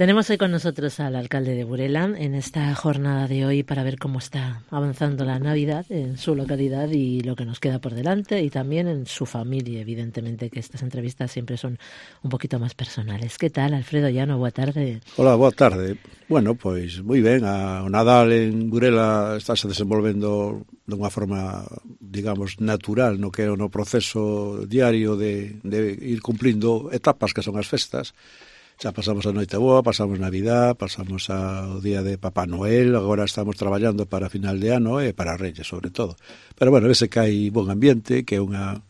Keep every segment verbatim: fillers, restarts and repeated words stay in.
Tenemos hoy con nosotros al alcalde de Burela en esta jornada de hoy para ver cómo está avanzando la Navidad en su localidad y lo que nos queda por delante, y también en su familia, evidentemente, que estas entrevistas siempre son un poquito más personales. ¿Qué tal, Alfredo Llano? Boa tarde. Hola, boa tarde. Bueno, pois moi ben, a, o Nadal en Burela estáse desenvolvendo de unha forma, digamos, natural no que é o no proceso diario de, de ir cumplindo etapas que son as festas. Xa pasamos a Noite Boa, pasamos Navidad, pasamos ao día de Papá Noel, agora estamos traballando para final de ano e para Reyes, sobre todo. Pero, bueno, vese que hai bon ambiente, que é unha...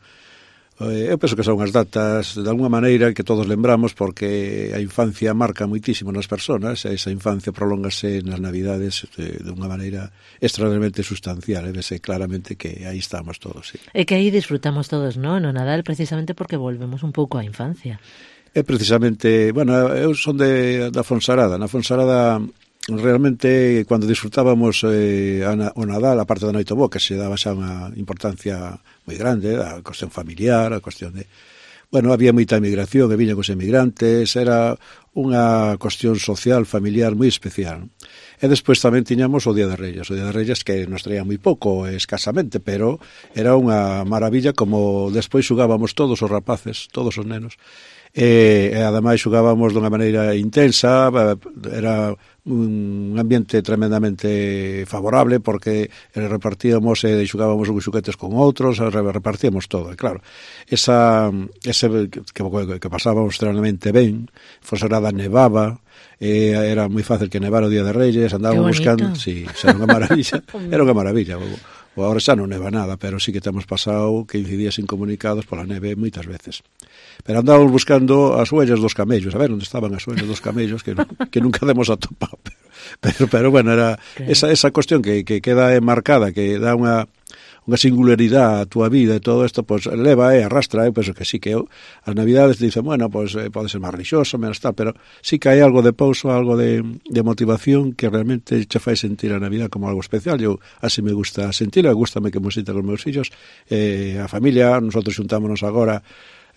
Eu penso que son as datas, de alguma maneira, que todos lembramos, porque a infancia marca moitísimo nas persoas, e esa infancia prolóngase nas Navidades de, de unha maneira extraordinariamente sustancial, e vese claramente que aí estamos todos. Sí. E que aí disfrutamos todos, non? No Nadal, precisamente porque volvemos un pouco á infancia. É precisamente, bueno, eu son de, da Fonsarada. Na Fonsarada, realmente, cando disfrutábamos eh, a, o Nadal, a parte da Noite Boa, que se daba xa unha importancia moi grande, a cuestión familiar, a cuestión de... Bueno, había moita emigración, e viñan os emigrantes, era unha cuestión social, familiar, moi especial. E despois tamén tiñamos o Día de Reyes, o Día de Reyes que nos traía moi pouco, escasamente, pero era unha maravilla como despois xugábamos todos os rapaces, todos os nenos, e, e ademais xugábamos dunha maneira intensa, era un ambiente tremendamente favorable porque repartíamos e xugábamos uns xuguetes con outros, repartíamos todo, e claro, esa, ese que, que pasábamos extraordinariamente ben, Fonsagrada nevaba, e era moi fácil que nevara o Día de Reyes, andábamos buscando, si, sí, era unha maravilla, era unha maravilla. O agora xa non neva nada, pero sí que temos pasado quince días incomunicados pola neve moitas veces. Pero andábamos buscando as huellas dos camellos, a ver onde estaban as huellas dos camellos, que, que nunca demos atopado. Pero, pero, pero bueno, era esa, esa cuestión que, que queda enmarcada, que dá unha unha singularidade a túa vida e todo isto, pois leva e arrastra, eu penso que sí, que eu, as Navidades dicen, bueno, pois eh, pode ser máis rixoso, menos tal, pero sí que hai algo de pouso, algo de, de motivación que realmente che fai sentir a Navidad como algo especial. Eu así me gusta sentir, gústame que me sinta con os meus fillos, eh, a familia, nosotros xuntámonos agora,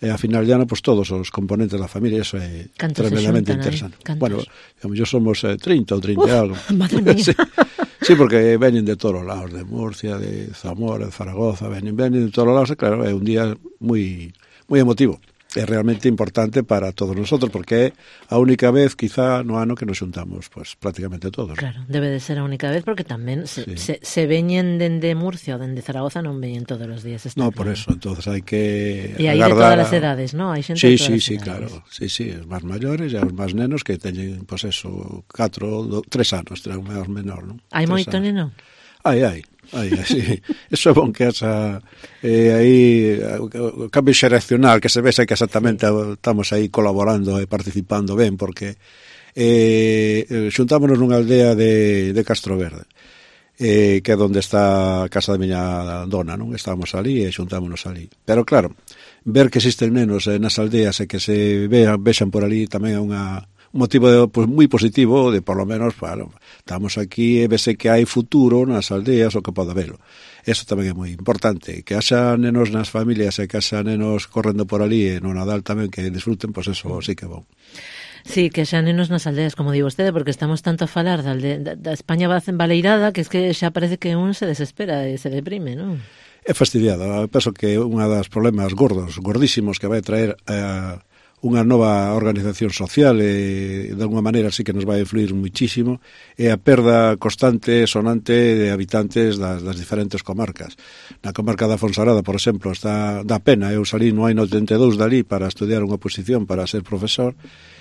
e a final de ano, pois todos os componentes da familia, eso é tremendamente interesante. Bueno, yo somos eh, trinta ou trinta e algo. Madre mía. Sí. Sí, porque veñen de todos os lados, de Murcia, de Zamora, de Zaragoza, veñen, veñen de todos os lados, e claro, é un día moi moi emotivo. É realmente importante para todos nosotros, porque é a única vez, quizá, no ano que nos xuntamos, pues, prácticamente todos. Claro, debe de ser a única vez, porque tamén se, sí. se, se veñen dende Murcia ou dende Zaragoza, non veñen todos os días. No, por eso, entonces hai que e hai de todas as edades, non? Hai xente sí, de todas sí, as sí, edades. claro. Sí, sí, os máis maiores e os máis nenos que teñen, pois pues eso, catro, do, tres anos, tres anos menor, non? Hai moito neno? Ai, ai. Aí, sí. Eso é bon que esa eh, aí o cambio xeracional que se vexe que exactamente estamos aí colaborando e participando ben, porque eh, xuntámonos nunha aldea de, de Castro Verde, eh, que é onde está a casa da miña dona, non? Estábamos ali e xuntámonos ali, pero claro, ver que existen nenos eh, nas aldeas e que se vean, vexan por ali tamén é unha un motivo de, pues, moi positivo de, por lo menos, bueno, estamos aquí e vese que hai futuro nas aldeas o que pode habelo. Eso tamén é moi importante, que haxa nenos nas familias e que haxa nenos correndo por ali e no Nadal tamén que disfruten, pois pues eso sí que é bon. Sí, que xa nenos nas aldeas, como digo vostede, porque estamos tanto a falar da, da, da España baleirada que es que xa parece que un se desespera e se deprime, non? É fastidiado, penso que unha das problemas gordos, gordísimos que vai traer a eh, unha nova organización social e de alguma maneira sí que nos vai influir muitísimo é a perda constante, sonante de habitantes das, das diferentes comarcas. Na comarca da Fonsarada, por exemplo, está da pena, eu salí no ano oitenta e dous dali para estudiar unha posición para ser profesor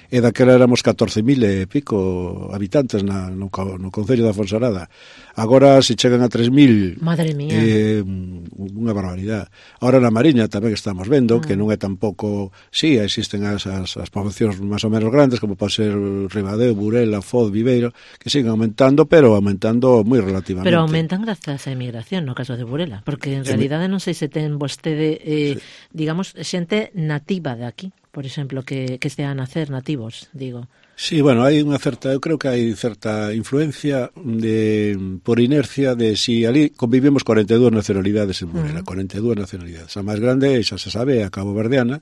e daquela éramos catorce mil e pico habitantes na, no, no concello da Fonsarada. Agora se chegan a tres mil, madre mía, é eh, unha barbaridade. Agora na Mariña tamén estamos vendo ah. que non é tampouco, sí, existen as, as, as poboacións máis ou menos grandes, como pode ser Ribadeo, Burela, Foz, Viveiro, que siguen aumentando, pero aumentando moi relativamente. Pero aumentan grazas á emigración, no caso de Burela, porque en realidade non sei se ten vostede, eh, sí. digamos, xente nativa de aquí, por exemplo, que, que estean a nacer nativos, digo. Sí, bueno, hai unha certa, eu creo que hai certa influencia de, por inercia de si ali convivimos cuarenta e dúas nacionalidades en Burela, uh-huh. cuarenta e dúas nacionalidades. A máis grande, xa se sabe, é a caboverdiana,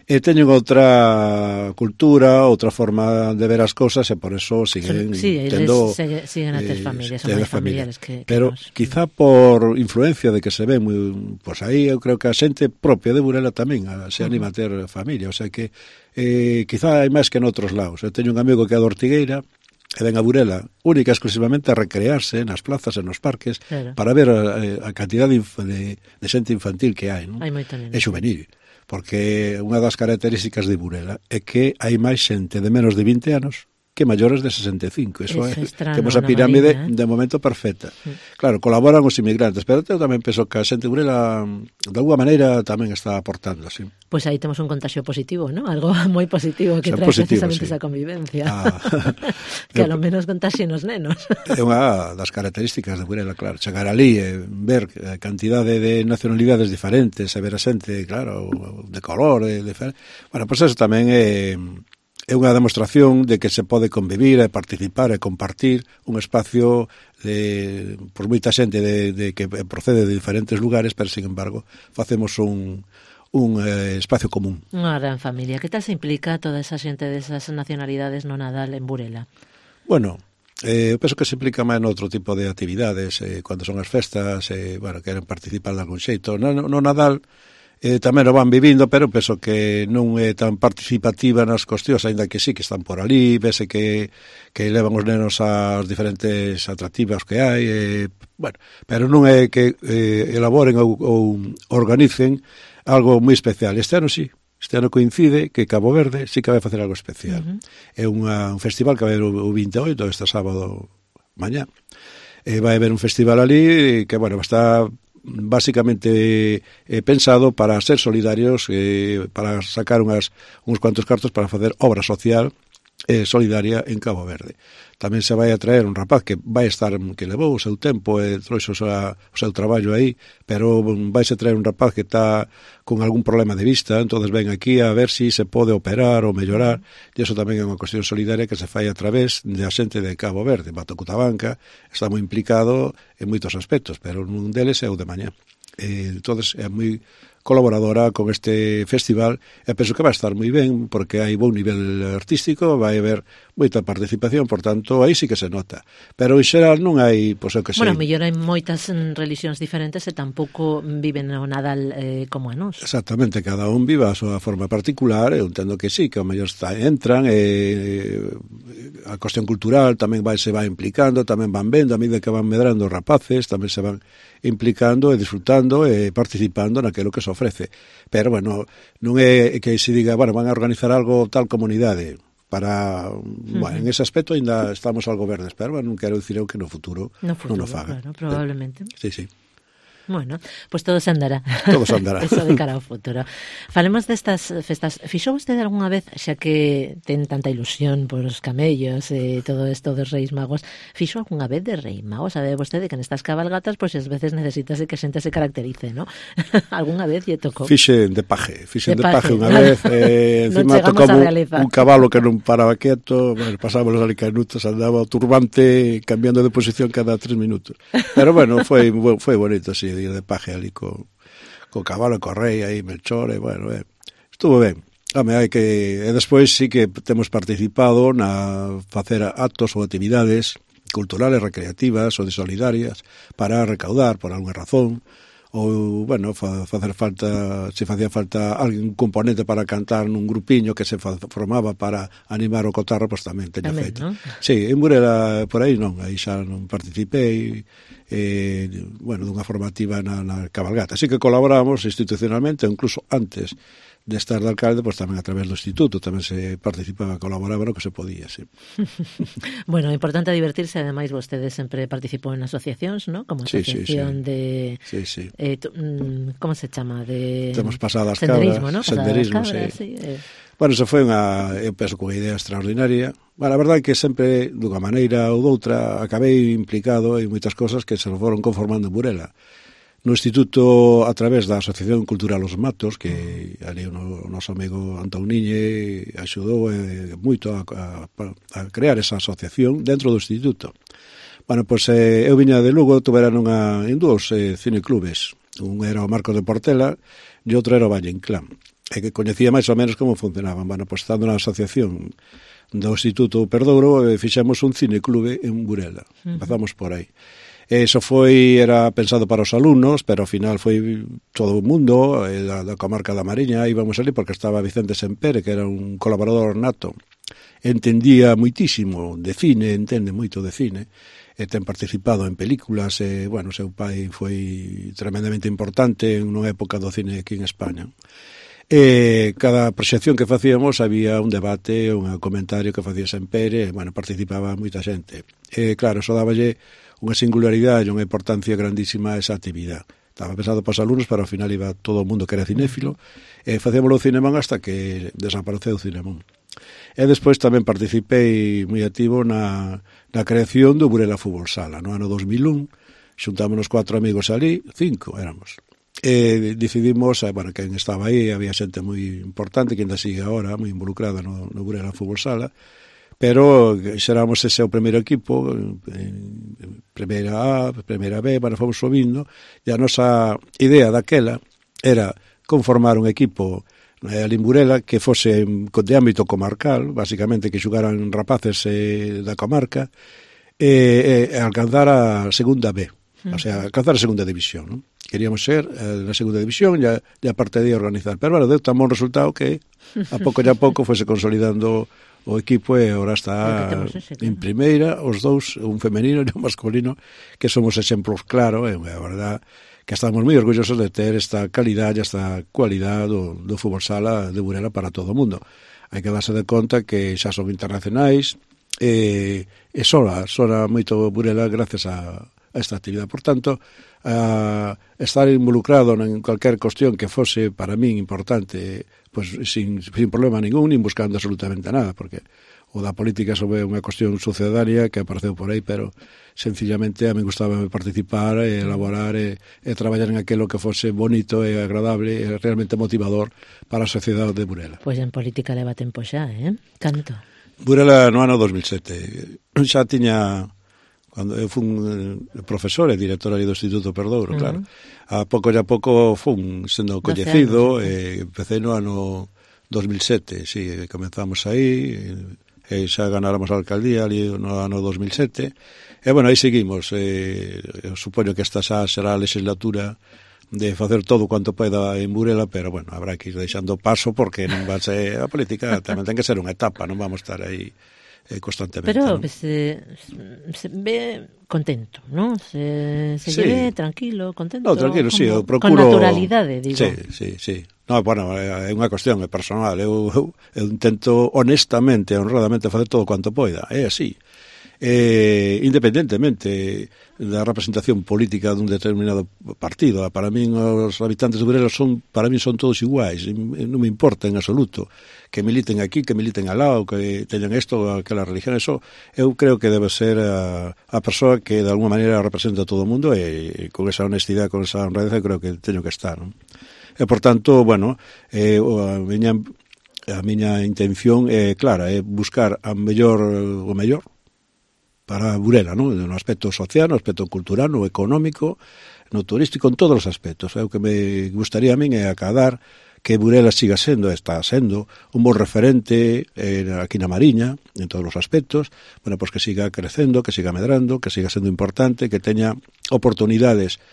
e teñen outra cultura, outra forma de ver as cosas e por eso siguen sí, tendo segue, siguen a ter familias, eh, son máis familiares que, que pero nos. quizá por influencia de que se ve moi, pois aí eu creo que a xente propia de Burela tamén a, se anima uh-huh. a ter familia, o sea que eh, quizá hai máis que en outros lados. Eu teño un amigo que é de Ortigueira e ven a Burela única e exclusivamente a recrearse nas plazas e nos parques, claro, para ver a, a cantidad de, de, de xente infantil que hai, non? Hai moito neno, é juvenil, porque unha das características de Burela é que hai máis xente de menos de vinte anos que maiores de sesenta e cinco. Eso é, temos a pirámide marina, eh? de momento perfecta. Sí. Claro, colaboran os inmigrantes, pero eu tamén penso que a xente de Burela de alguma maneira tamén está aportando, sí. Pois pues aí temos un contagio positivo, ¿no? Algo moi positivo que trae positivo, precisamente sí. esa convivencia. Ah. Que a lo menos contaxien os nenos. É unha das características de Burela, claro. Chegar ali e ver a cantidade de nacionalidades diferentes, e ver a xente, claro, de color, de, de... Bueno, pois pues eso tamén é... é unha demostración de que se pode convivir e participar e compartir un espacio de, por moita xente de, de que procede de diferentes lugares, pero, sin embargo, facemos un, un eh, espacio común. Unha gran familia. Que tal se implica toda esa xente desas nacionalidades no Nadal en Burela? Bueno, eh, eu penso que se implica máis noutro tipo de actividades, eh, cando son as festas, eh, bueno, queren participar de algún xeito. No, no Nadal Eh, tamén o van vivindo, pero penso que non é tan participativa nas cuestións, ainda que sí que están por ali, vese que, que levan os nenos ás diferentes atractivas que hai, eh, bueno, pero non é que eh, elaboren ou, ou organicen algo moi especial. Este ano sí, este ano coincide que Cabo Verde sí que vai facer algo especial. Uh-huh. É unha, un festival que vai haber o vinte e oito, este sábado mañá. Eh, vai haber un festival ali que, bueno, está básicamente eh, pensado para ser solidarios, eh, para sacar unhas, uns cuantos cartos para facer obra social eh, solidaria en Cabo Verde. Tamén se vai a traer un rapaz que vai estar, que levou o seu tempo e trouxe o seu traballo aí, pero vai se traer un rapaz que está con algún problema de vista, entonces ven aquí a ver si se pode operar ou mellorar, e iso tamén é unha cuestión solidaria que se fai a través da xente de Cabo Verde. Bato Cutabanca está moi implicado en moitos aspectos, pero un deles é o de mañá. Eh, entonces é moi colaboradora con este festival e penso que vai estar moi ben porque hai bon nivel artístico, vai haber moita participación, por tanto, aí sí que se nota. Pero en xeral non hai, pois, o que sei. Bueno, mellor hai moitas religións diferentes e tampouco viven o Nadal eh, como a nós. Exactamente, cada un vive a súa forma particular, eu entendo que sí, que ao mellor está, entran, e a cuestión cultural tamén vai, se vai implicando, tamén van vendo, a medida que van medrando os rapaces, tamén se van implicando e disfrutando e participando naquilo que se ofrece. Pero, bueno, non é que se diga, bueno, van a organizar algo tal comunidade para, uh-huh. bueno, en ese aspecto ainda estamos algo verdes, pero, bueno, non quero dicir eu que no futuro, no futuro non o faga. Claro, probablemente. Sí, sí. Bueno, pois pues todo se andará. Todo se andará. Eso de cara ao futuro. Falemos destas festas. Fixou vostede algunha vez, xa que ten tanta ilusión por os camellos e todo isto dos Reis Magos, fixou algunha vez de Rei Mago? Sabe vostede que nestas cabalgatas, pois pues, as veces necesitase que a xente se caracterice, ¿no? Algunha vez lle tocou? Fixen de paje, fixen de, de paje unha vez, eh, encima tocou un cabalo que non paraba quieto, bueno, pasábamos ali canutos, andaba o turbante cambiando de posición cada tres minutos. Pero, bueno, foi, foi bonito, sí, ir de paje ali co, co cabalo, co rei aí, Melchor, e bueno, eh, estuvo ben. Home, hai que, e despois sí que temos participado na facer actos ou actividades culturales, recreativas ou de solidarias para recaudar por algunha razón, ou, bueno, fa, facer falta, se facía falta algún componente para cantar nun grupiño que se fa, formaba para animar o cotarro, pois tamén teña tamén, feito. ¿No? Sí, en Burela, por aí non, aí xa non participei, eh, bueno, dunha formativa na, na cabalgata. Así que colaboramos institucionalmente, incluso antes de estar de alcalde, pois tamén a través do instituto tamén se participaba, colaboraba no que se podía, sí. Bueno, é importante divertirse, ademais vostede sempre participou en asociacións, ¿no? Como asociación sí, sí, sí. de sí, sí. Eh, tu, como se chama? De temos pasadas senderismo, cabras, ¿no? Senderismo, cabras, sí. sí eh. Bueno, eso foi unha, eu penso que unha idea extraordinaria. Bueno, a verdade é que sempre, dunha maneira ou doutra, acabei implicado en moitas cosas que se foron conformando en Burela. No instituto, a través da Asociación Cultural Os Matos, que ali o noso amigo Antón Niñe axudou eh, moito a, a, a crear esa asociación dentro do instituto. Bueno, pois eh, eu viña de Lugo, tuveran unha, en dúos eh, cineclubes. Un era o Marcos de Portela e outro era o Valle Inclán. e que coñecía máis ou menos como funcionaban. Bueno, pois estando na asociación do Instituto Perdouro, eh, fixemos un cineclube en Burela. Uh-huh. Empezamos por aí. Eso foi, era pensado para os alumnos, pero ao final foi todo o mundo, eh, da, da comarca da Mariña, íbamos ali porque estaba Vicente Sempere, que era un colaborador nato, entendía moitísimo de cine, entende moito de cine, e ten participado en películas, e, bueno, seu pai foi tremendamente importante en unha época do cine aquí en España. E cada proxección que facíamos había un debate, un comentario que facía Sempere, e, bueno, participaba moita xente. E, claro, eso dáballe unha singularidade e unha importancia grandísima a esa actividade. Estaba pensado para os alumnos, pero ao final iba todo o mundo que era cinéfilo, e facíamoslo o Cinemón hasta que desapareceu o Cinemón. E despois tamén participei moi activo na, na creación do Burela Fútbol Sala. No ano dos mil un, xuntámonos cuatro amigos ali, cinco éramos. E decidimos, bueno, quen estaba aí, había xente moi importante, que ainda sigue agora, moi involucrada no, no Burela Fútbol Sala, pero xeramos ese o primeiro equipo, en primeira A, primeira B, bueno, fomos subindo, e a nosa idea daquela era conformar un equipo ali en Burela que fose de ámbito comarcal, basicamente que xugaran rapaces eh, da comarca, e, e alcanzar a segunda B, o sea, alcanzar a segunda división, ¿no? Queríamos ser eh, na segunda división e a, e a parte de organizar, pero bueno, deu tan bon resultado que a pouco e a pouco fose consolidando o equipo e agora está ese, claro, en primeira, os dous, un femenino e un masculino, que somos exemplos claro, e a verdad que estamos moi orgullosos de ter esta calidad e esta cualidade do, do fútbol sala de Burela para todo o mundo. Hai que darse de conta que xa son internacionais e, e sola, sola moito Burela gracias a, a esta actividade. Por tanto, a estar involucrado en cualquier cuestión que fose para min importante, pues sin, sin problema ningún, nin buscando absolutamente nada, porque o da política sobre unha cuestión sucedaria que apareceu por aí, pero sencillamente a mí gustaba participar e elaborar e, e traballar en aquilo que fose bonito e agradable e realmente motivador para a sociedade de Burela. Pois en política leva tempo xa, eh? Canto? Burela no ano dos mil sete. Xa tiña, cando eu fun profesor e director ali do Instituto Perdouro, uh-huh. claro. A pouco e a pouco fun sendo coñecido, e empecé no ano dos mil sete, sí, comenzamos aí, e xa ganáramos a alcaldía ali no ano dos mil sete, e bueno, aí seguimos. Eh, eu supoño que esta xa será a legislatura de facer todo cuanto poida en Burela, pero bueno, habrá que ir deixando paso porque non va a ser a política, tamén ten que ser unha etapa, non vamos a estar aí eh, constantemente. Pero ¿no? se, se ve contento, ¿no? Se, se sí. ve tranquilo, contento. No, tranquilo, sí, eu procuro... Con naturalidade, digo. Sí, sí, sí. No, bueno, é unha cuestión personal. Eu, eu, eu intento honestamente, honradamente facer todo cuanto poida. É así. Eh, independentemente da representación política dun determinado partido. Para min os habitantes de Burela son, para min son todos iguais. Non me importa en absoluto que militen aquí, que militen al lado, que teñan isto, aquela religión. Eso eu creo que debe ser a, a persoa que de alguma maneira representa a todo o mundo, e, e con esa honestidade, con esa honradez, creo que teño que estar, non? E, por tanto, bueno, eh, a miña a miña intención é clara, é buscar a mellor o mellor para Burela, non? No aspecto social, no aspecto cultural, no económico, no turístico, en todos os aspectos. O que me gustaría a min é acadar que Burela siga sendo, está sendo, un bon referente eh, aquí na Mariña, en todos os aspectos, bueno, pois que siga crecendo, que siga medrando, que siga sendo importante, que teña oportunidades,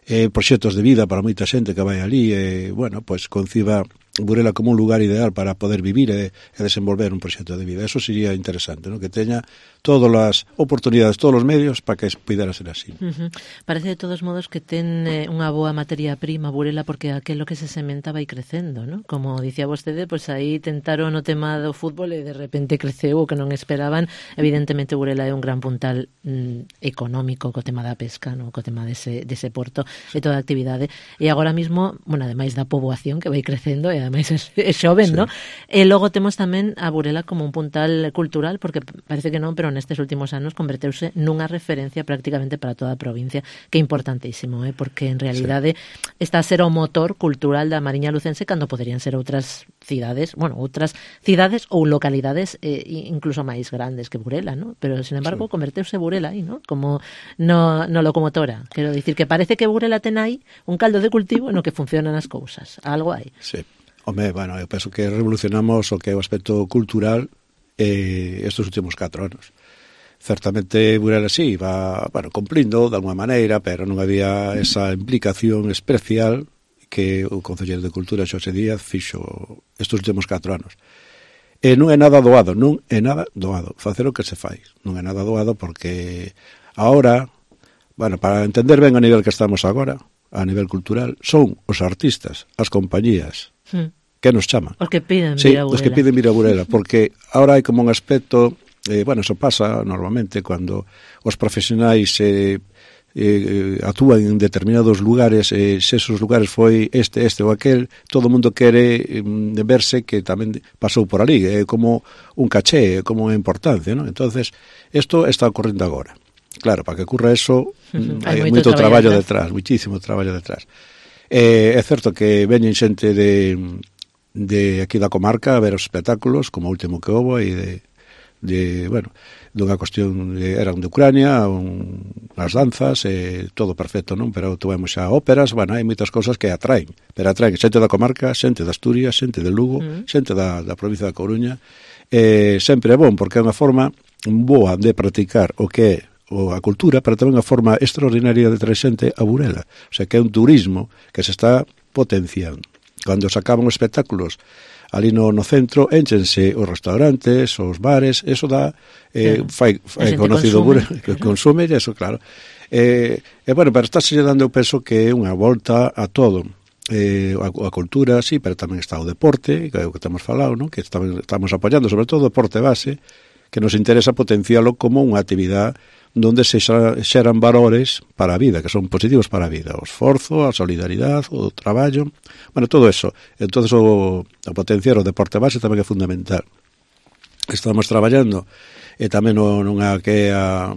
eh, proxectos de vida para moita xente que vai ali, e, eh, bueno, pois conciba Burela como un lugar ideal para poder vivir e, e desenvolver un proxecto de vida. Eso sería interesante, ¿no? Que teña todas as oportunidades, todos os medios para que pudera ser así. Uh-huh. Parece de todos modos que ten eh, unha boa materia prima Burela, porque aquilo que se sementa vai crecendo, ¿no? Como dicía vostede, pois pues aí tentaron o tema do fútbol e de repente creceu o que non esperaban. Evidentemente Burela é un gran puntal mm, económico co tema da pesca, ¿no? Co tema dese, dese porto e toda a actividade. E agora mismo, bueno, ademais da poboación que vai crecendo e ademais é xoven, sí. ¿no? E logo temos tamén a Burela como un puntal cultural, porque parece que non, pero nestes últimos anos converteuse nunha referencia prácticamente para toda a provincia, que é importantísimo, eh? Porque en realidade sí. está a ser o motor cultural da Mariña Lucense cando poderían ser outras cidades, bueno, outras cidades ou localidades eh, incluso máis grandes que Burela, ¿no? Pero, sin embargo, sí. converteuse Burela aí, ¿no? Como no, no locomotora. Quero dicir que parece que Burela ten aí un caldo de cultivo no que funcionan as cousas. Algo hai. Sí. Home, bueno, eu penso que revolucionamos o que é o aspecto cultural eh, estes últimos catro anos. Certamente Burela sí, va, bueno, cumplindo de alguma maneira, pero non había esa implicación especial que o Concelleiro de Cultura Xosé Díaz fixo estes últimos catro anos. E non é nada doado, non é nada doado facer o que se fai. Non é nada doado porque agora, bueno, para entender ben a nivel que estamos agora, a nivel cultural, son os artistas, as compañías, hmm. que nos chaman. Os que piden sí, vir a Burela. Os que piden vir a Burela, porque agora hai como un aspecto, eh, bueno, eso pasa normalmente cando os profesionais eh, eh, actúan en determinados lugares, eh, se esos lugares foi este, este ou aquel, todo o mundo quere eh, verse que tamén pasou por ali, é eh, como un caché, é como unha importancia, ¿no? Entonces, isto está ocorrendo agora. Claro, para que ocurra eso, uh-huh. hai moito traballo detrás, muitísimo traballo detrás. Eh, é certo que veñen xente de, de aquí da comarca a ver os espectáculos, como o último que houve, e de, de bueno, dunha cuestión, de, eran de Ucrania, un, as danzas, eh, todo perfecto, non? Pero tuvemos xa óperas, bueno, hai moitas cosas que atraen, pero atraen xente da comarca, xente de Asturias, xente de Lugo, uh-huh. xente da, da provincia da Coruña, eh, sempre é bon, porque é unha forma boa de practicar o que é ou a cultura, pero tamén a forma extraordinaria de traer xente a Burela. O sea, que é un turismo que se está potenciando. Cando se acaban os espectáculos ali no, no centro, énchense os restaurantes, os bares, eso dá, eh, claro. fai, fai conocido Burela, que consume, e eso, claro. Eh, e, bueno, pero está se dando, eu penso que é unha volta a todo. Eh, a, a cultura, sí, pero tamén está o deporte, que é o que temos falado, non? Que estamos, estamos apoiando, sobre todo o deporte base, que nos interesa potencialo como unha actividade donde se xeran valores para a vida, que son positivos para a vida, o esforzo, a solidaridade, o traballo, bueno, todo eso. Entonces o, o potenciar o deporte base tamén é fundamental. Estamos traballando e tamén nunha que a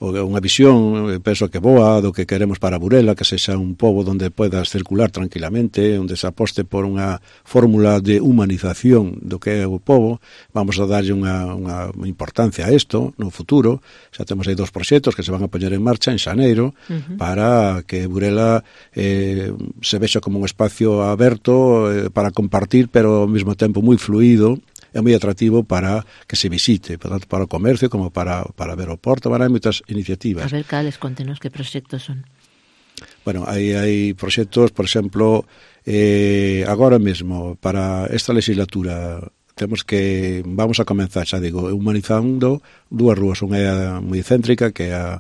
unha visión, penso que boa, do que queremos para Burela, que sexa un pobo onde podas circular tranquilamente, onde se aposte por unha fórmula de humanización do que é o pobo. Vamos a darlle unha, unha importancia a isto no futuro. Xa temos aí dos proxectos que se van a poñer en marcha en xaneiro, uh-huh. para que Burela eh, se vexa como un espacio aberto eh, para compartir, pero ao mesmo tempo moi fluido, é moi atractivo para que se visite, tanto para o comercio como para, para ver o porto. Bueno, hai moitas iniciativas. A ver, cales, contenos que proxectos son? Bueno, hai, hai proxectos, por exemplo, eh, agora mesmo, para esta legislatura, temos que, vamos a comenzar, xa digo, humanizando dúas rúas, unha moi céntrica, que é a,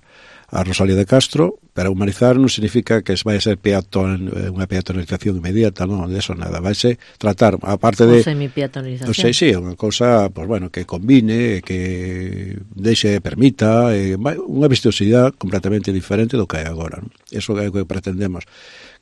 a Rosalía de Castro, pero humanizar non significa que vai ser peatón, unha peatonalización inmediata, non, de eso nada, vai ser tratar, aparte de... Ou semi-peatonalización. Non sei, sí, unha cousa, pues, bueno, que combine, que deixe, permita, eh, unha vistosidade completamente diferente do que hai agora, non? Eso é o que pretendemos.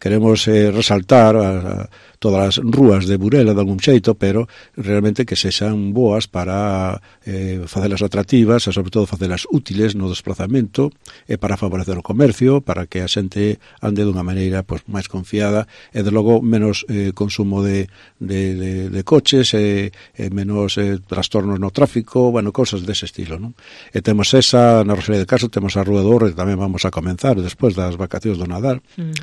Queremos eh, resaltar a, a, todas as rúas de Burela de algún xeito, pero realmente que sexan boas para eh, facelas atractivas e sobre todo facelas útiles no desplazamento e para favorecer o comercio, para que a xente ande dunha maneira pues, máis confiada e de logo menos eh, consumo de, de, de, de coches e, e menos eh, trastornos no tráfico, bueno, cosas dese estilo, non? E temos esa, na Rosalía de Castro temos a Rúa do Orre, que tamén vamos a comenzar despois das vacacións do Nadal. Uh-huh.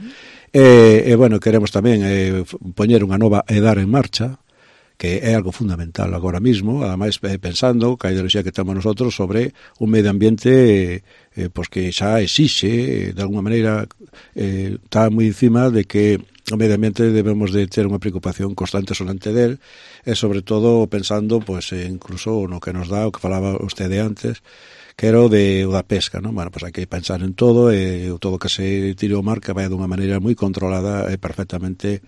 E, e, bueno, queremos tamén eh, poñer unha nova EDAR en marcha, que é algo fundamental agora mismo, ademais eh, pensando que a ideoloxía que temos nosotros sobre un medio ambiente eh, pues que xa exixe, de alguna maneira eh, está moi encima de que o medio ambiente debemos de ter unha preocupación constante solante del, e sobre todo pensando pues, eh, incluso no que nos dá, o que falaba vostede antes, que era o de, o da pesca, non? Bueno, pois hai que pensar en todo, e todo que se tire ao mar que vai dunha maneira moi controlada e perfectamente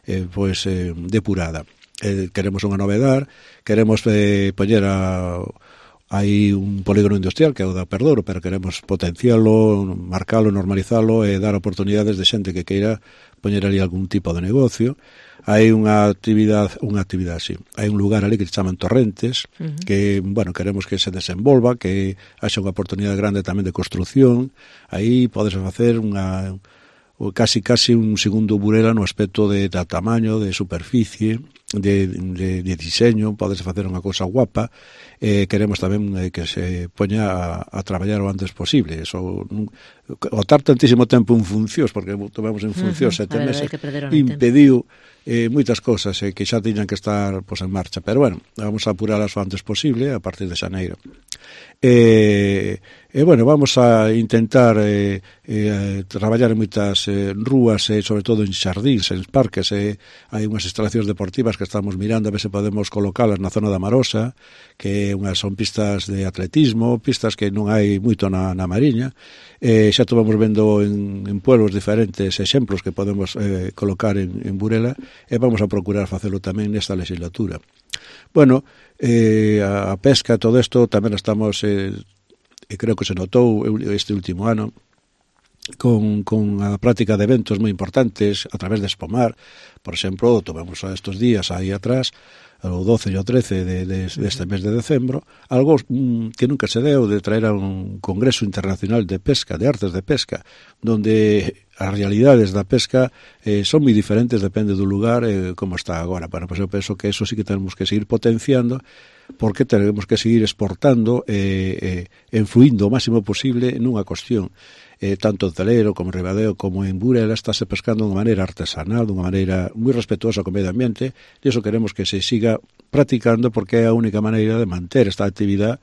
eh, pois, eh, depurada. Eh, queremos unha novedad, queremos eh, poñer a... hai un polígono industrial que é o da Perdouro, pero queremos potencialo, marcalo, normalizalo e dar oportunidades de xente que queira poñer ali algún tipo de negocio. Hai unha actividade, unha actividade así. Hai un lugar ali que se chaman Torrentes, uh-huh. que, bueno, queremos que se desenvolva, que haxa unha oportunidade grande tamén de construción. Aí podes facer unha casi casi un segundo Burela no aspecto de, de tamaño, de superficie, de, de, de diseño, podese facer unha cousa guapa, eh, queremos tamén eh, que se poña a, a traballar o antes posible. Eso, o tar tantísimo tempo en funcións, porque tomamos en funcións uh -huh. sete meses, impediu eh, moitas cousas eh, que xa tiñan que estar pues, en marcha. Pero bueno, vamos a apurarlas o antes posible a partir de xaneiro. E, e bueno, vamos a intentar eh, eh, traballar en moitas eh, rúas e eh, sobre todo en xardíns, en parques, eh, hai unhas instalacións deportivas que estamos mirando a ver se podemos colocalas na zona da Marosa, que unhas son pistas de atletismo, pistas que non hai moito na, na Mariña. Eh, xa tomamos vendo en, en pueblos diferentes exemplos que podemos eh, colocar en, en Burela, e vamos a procurar facelo tamén nesta legislatura. Bueno, eh, a pesca, todo isto tamén estamos, eh, e creo que se notou este último ano, con, con a práctica de eventos moi importantes a través de Espomar. Por exemplo, tomamos estes días aí atrás, o doce e o trece de, de, deste mes de decembro, algo mm, que nunca se deu, de traer a un congreso internacional de pesca, de artes de pesca, donde as realidades da pesca eh, son moi diferentes, depende do lugar eh, como está agora. Bueno, pues eu penso que eso sí que tenemos que seguir potenciando, porque tenemos que seguir exportando e eh, eh, influindo o máximo posible nunha cuestión. Eh, tanto en Celero como en Ribadeo como en Burela estáse pescando de unha maneira artesanal, de unha maneira moi respetuosa co medio ambiente, e iso queremos que se siga practicando, porque é a única maneira de manter esta actividade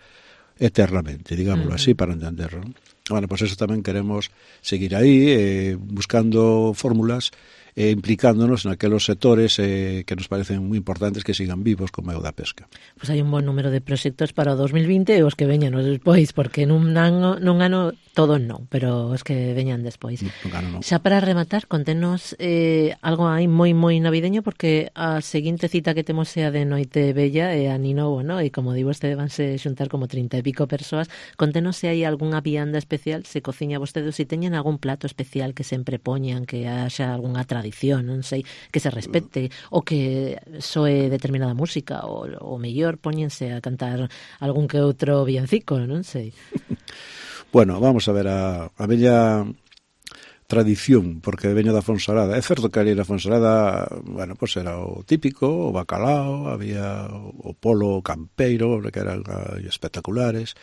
eternamente, digámoslo uh -huh. así, para entenderlo. Bueno, pues eso tamén queremos seguir aí, eh, buscando fórmulas e implicándonos naquelos sectores eh, que nos parecen moi importantes que sigan vivos, como é o da pesca. Pois pues hai un bon número de proxectos para o dos mil vinte e os que veñan despois, porque nun ano, nun ano todos non, pero os que veñan despois. No, no. Xa para rematar, contenos eh, algo aí moi moi navideño, porque a seguinte cita que temos é a de Noite Bella e a Ninovo, ¿no? E como digo, este vanse xuntar como trinta e pico persoas. Contenos se hai algunha vianda especial, se cociña vostede, se teñen algún plato especial que sempre poñan, que haxa algunha tradición, non sei, que se respete, ou que soe determinada música, ou, ou mellor poñense a cantar algún que outro villancico, non sei. Bueno, vamos a ver a, a bella tradición, porque veña da Fonsalada. É certo que ali na Fonsalada, bueno, pois era o típico, o bacalao, había o polo campeiro, que eran espectaculares,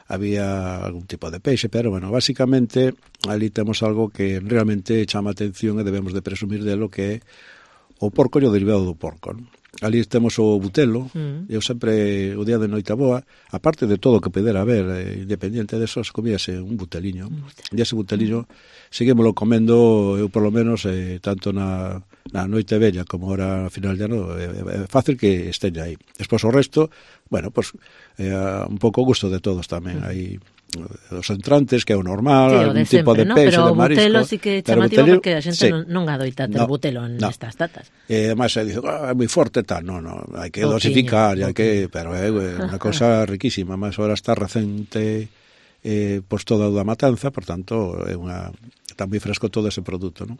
había algún tipo de peixe, pero, bueno, basicamente, ali temos algo que realmente chama atención e debemos de presumir delo, que é o porco e o derivado do porco, non? Ali temos o butelo, mm. eu sempre, o día de Noitaboa, aparte de todo o que pudera haber, eh, independiente de eso, comíase un buteliño. Mm. E ese buteliño, seguímolo comendo, eu polo menos, eh, tanto na, na Noite Bella como ahora a final de ano, é eh, eh, fácil que esteña aí. Despois o resto, bueno, pues, eh, un pouco gusto de todos tamén, mm. aí os entrantes, que é o normal, sí, algún de tipo sempre, de ¿no? peixe, pero de marisco. Pero o butelo sí que é chamativo, butelo, porque a xente sí. non, non adoita ter no, butelo nestas no. datas. E además se dice, ah, é moi forte, tal, non, non, hai que dosificar, hai que, pero é unha cosa riquísima, máis ahora está recente eh, pois toda a matanza, por tanto, é unha está moi fresco todo ese produto, non?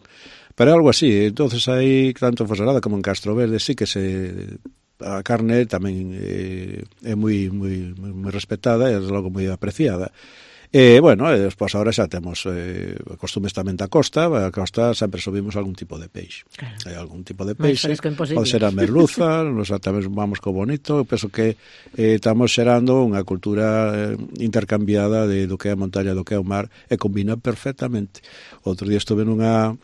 Pero é algo así, entonces aí, tanto en Fonsalada como en Castro Verde, sí que se a carne tamén eh, é moi, moi, moi respetada e logo moi apreciada. E, bueno, e despois agora xa temos eh, costumes tamén da costa, a costa sempre subimos algún tipo de peixe. Claro. Hai algún tipo de peixe, pode ser a merluza, nos tamén vamos co bonito, eu penso que eh, estamos xerando unha cultura eh, intercambiada de do que é a montaña, do que é o mar, e combina perfectamente. Outro día estuve nunha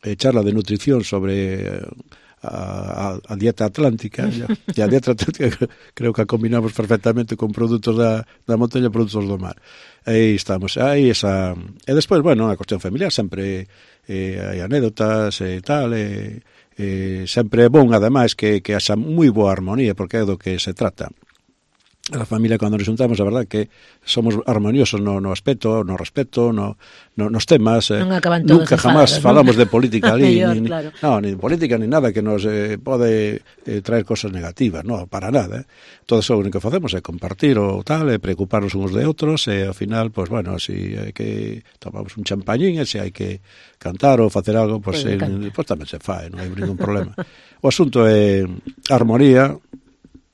eh, charla de nutrición sobre eh, A, a, a dieta atlántica, e a dieta atlántica creo que a combinamos perfectamente con produtos da, da montaña e produtos do mar. Aí estamos, aí esa... E despois, bueno, a cuestión familiar, sempre eh, hai anécdotas e tal, e eh, sempre é bon, ademais, que, que haxa moi boa armonía, porque é do que se trata. A familia, cando nos juntamos, a verdade que somos armoniosos no, no aspecto, no respeto, no, no, nos temas. Eh, nunca jamás ¿no? falamos de política ali, ni, claro. no, ni de política ni nada que nos eh, pode eh, traer cosas negativas, no, para nada. Eh. Todo eso o único que facemos é compartir o tal, e preocuparnos uns de outros, e ao final, pues bueno, si hai que tomamos un champañín, e se hai que cantar ou facer algo, pues, pues, eh, pues tamén se fai, non hai ningún problema. O asunto é armonía,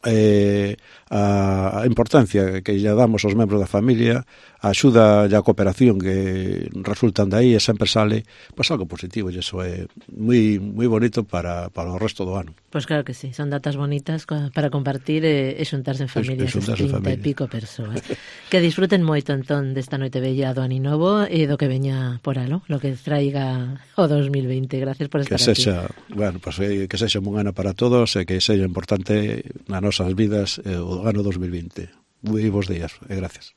eh, a, a importancia que lle damos aos membros da familia, a axuda e a cooperación que resultan de aí, e sempre sale pois algo positivo, e iso é moi moi bonito para, para o resto do ano. Pois claro que sí, son datas bonitas para compartir e, e xuntarse en familia, esas trinta e pico persoas. Que disfruten moito entón desta noite bella do Aninovo e do que veña por alo, lo que traiga o dos mil veinte. Gracias por estar que sexa, aquí. Bueno, pues, que sexa un ano para todos e que sexa importante nas nosas vidas o ano dos mil veinte. Moi bons días e gracias.